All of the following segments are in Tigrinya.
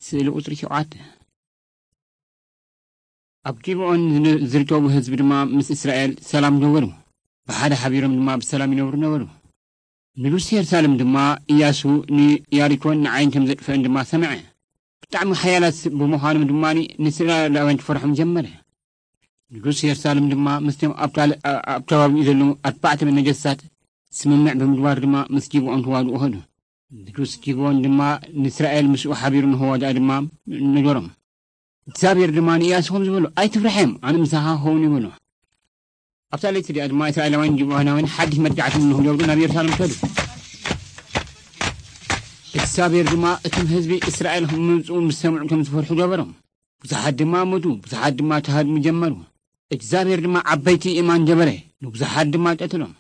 ስእሊ ቁጽሪ ሸውዓተ። ኣብ ጊብዖን ዝን-፣ ዝርከቡ ህዝቢ ድማ ምስ እስራኤል ሰላም ገበሩ። ብሓደ ሓቢሮም ድማ ብሰላም ይነብሩ ነበሩ። ንጉስ የሩሳሌም ድማ ኢያሱ ንያሪኮን ንዓይን ከም ዘጥፍአን ድማ ሰምዐ። ብጣዕሚ ሓያላት ብምዃኖም ድማ ንእስራኤላውያን ክፈርሖም ጀመረ። ንጉስ የሩሳሌም ድማ ምስቶም ኣብ ካል-፣ ኣ-፣ ኣብ ከባቢኡ ዘለዉ ኣርባዕተ ነገስታት ስምምዕ ብምግባር ድማ ምስ ጊብዖን ክዋግኡ ኸዱ። ንጉስ ጊብዖን ድማ ንእስራኤል ምስኡ ሓቢሩ ንኸዋግኣ ድማ ነገሮም። እግዚኣብሔር ድማ ንኢያሱ ከም ዝበሎ፣ "ኣይትፍርሐም፣ ኣነ ምሳኻ ክኸውን" ይበሎ። ኣብታ ለይቲ እዚኣ ድማ እስራኤላውያን ጊብዖናውያን ሓድሽ መጥቃዕቲ ንኽገብሩ ናብ የሩሳሌም ከዱ። እግዚኣብሔር ድማ እቶም ህዝቢ እስራኤል ምምጽኡ ምስ ሰምዑ ከም ዝፈርሑ ገበሮም። ብዙሓት ድማ ሞቱ፣ ብዙሓት ድማ ክሃድሙ ጀመሩ። እግዚኣብሔር ድማ ዓበይቲ እማን ገበረ፣ ንብዙሓት ድማ ቀትሎም።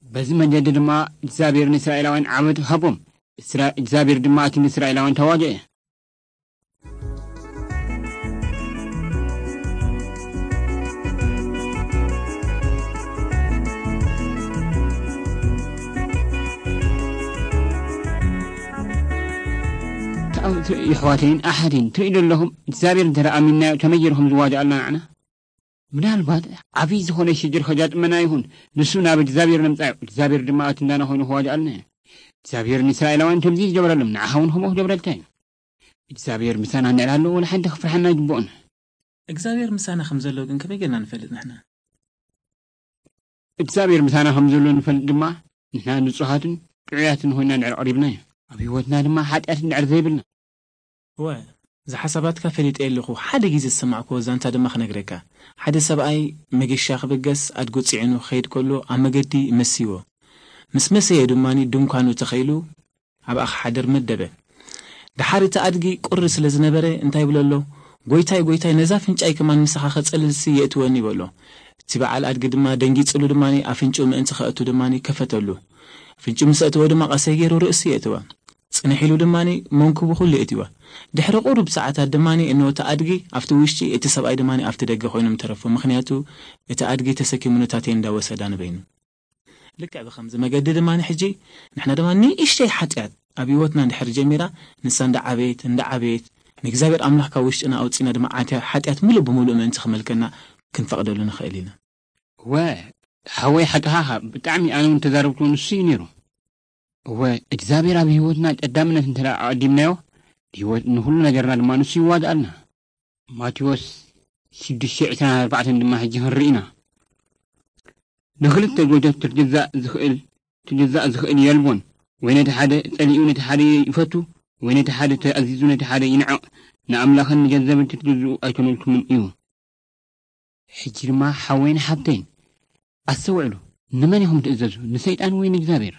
በዚ መንገዲ ድማ እግዚኣብሔር ንእስራኤላውያን ዓወት ሃቦም። እስራ-፣ እግዚኣብሔር ድማ እቲ ንእስራኤላውያን ተዋግአ። ተኣው-፣ ት-፣ የሕዋተይን ኣሓተይን፣ ትርእዩ ዶ ኣለኹም? እግዚኣብሔር እንተ ደኣ ኣሚንናዮ፣ ከመይ ገይሩ ከም ዝዋጋኣልና ንዓና? ምናልባት ዓብዪ ዝኾነ ሽግር ከጋጥመና ይኹን፣ ንሱ ናብ እግዚኣብሔር ነምጻዮ፣ እግዚኣብሔር ድማ እቲ እንዳና ኮይኑ ክዋጋኣልና እዩ። እግዚኣብሔር ንእስራኤላውያን ከምዚ ዝገበረሎም፣ ንዓኻ እውን ከምኡ ክገብረልካ እዩ። እግዚኣብሔር ምሳና እንድሕር ኣሎ፣ ወላ ሓንቲ ክፍርሓና ኣይግብኦን። እግዚኣብሔር ምሳና ከም ዘሎ ግን ከመይ ጌርና ንፈልጥ ንሕና? እግዚኣብሔር ምሳና ከም ዘሎ ንፈልጥ ድማ፣ ንሕና ንጹሃትን ጥዑያትን ኮይና እንድሕር ቀሪብና እዩ። ኣብ ህይወትና ድማ ሓጢኣት እንድሕር ዘይብልና። እወ፣ እዚ ሓሳባትካ ፈሊጠ ኣለኹ። ሓደ ግዜ ዝሰማዕክዎ ዛንታ ድማ ክነግረካ። ሓደ ሰብኣይ መገሻ ክብገስ ኣድጉ ጽዒኑ ክኸይድ ከሎ ኣብ መገዲ መሲዎ። ምስ መሰየ ድማ ድንኳኑ ተኸይሉ ኣብኣ ክሓድር መደበ። ደሓር እቲ ኣድጊ ቁሪ ስለ ዝነበረ እንታይ ይብሎ ኣሎ? "ጎይታይ፣ ጎይታይ፣ ነዛ ፍንጫይ ከማን ምሳኻ ከጸልልሲ የእትወኒ" ይበሎ። እቲ በዓል ኣድጊ ድማ ደንጊጽሉ ድማ ኣፍንጭኡ ምእንቲ ከእቱ ድማ ከፈተሉ። ኣፍንጭኡ ምስ ኣእተወ ድማ ቀሰይ ገይሩ ርእሱ የእትዋ። ጽንሕ ኢሉ ድማ መንኩቡ ኩሉ የእትዋ። ድሕሪ ቁሩብ ሰዓታት ድማ እንሆ እቲ ኣድጊ ኣብቲ ውሽጢ፣ እቲ ሰብኣይ ድማ ኣብቲ ደገ ኮይኖም ተረፉ። ምኽንያቱ እቲ ኣድጊ ተሰኪሙ ነታ ቴንዳ ወሰዳ ንበይኑ። ልክዕ ብኸምዚ መገዲ ድማ ሕጂ ንሕና ድማ ንእሽተይ ሓጢኣት ኣብ ህይወትና እንድሕር ጀሚራ፣ ንሳ እንዳዓበየት፣ እንዳዓበየት፣ ንእግዚኣብሔር ኣምላኽ ካብ ውሽጥና ኣውጺና ድማ ዓትያ-፣ ሓጢኣት ምሉእ ብምሉእ ምእንቲ ክመልከና ክንፈቕደሉ ንኽእል ኢና። እወ፣ ሓወይ ሓቅኻ ኢኻ። ብጣዕሚ ኣነ እውን ተዛረብክዎ ንሱ እዩ ነይሩ። እወ፣ እግዚኣብሔር ኣብ ህይወትና ቀዳምነት እንተ ደኣ ኣቐዲምናዮ፣ ህይወት ንኹሉ ነገርና ድማ ንሱ ይዋድኣልና። ማቴዎስ ሽዱሽተ ዕስራን ኣርባዕተን ድማ ሕጂ ክንርኢ ኢና። ንኽልተ ጎይቶት ክትግዛእ ዝኽእል፣ ክግዛእ ዝኽእል የልቦን። ወይ ነቲ ሓደ ጸሊኡ ነቲ ሓደ ይፈቱ፣ ወይ ነቲ ሓደ ተኣዚዙ ነቲ ሓደ ይንዕቕ። ንኣምላኽን ንገንዘብን ክትግዝኡ ኣይኮነልኩምን እዩ። ሕጂ ድማ ሓወይን ሓብተይን ኣስተውዕሉ። ንመን ኢኹም ትእዘዙ? ንሰይጣን ወይ ንእግዚኣብሔር?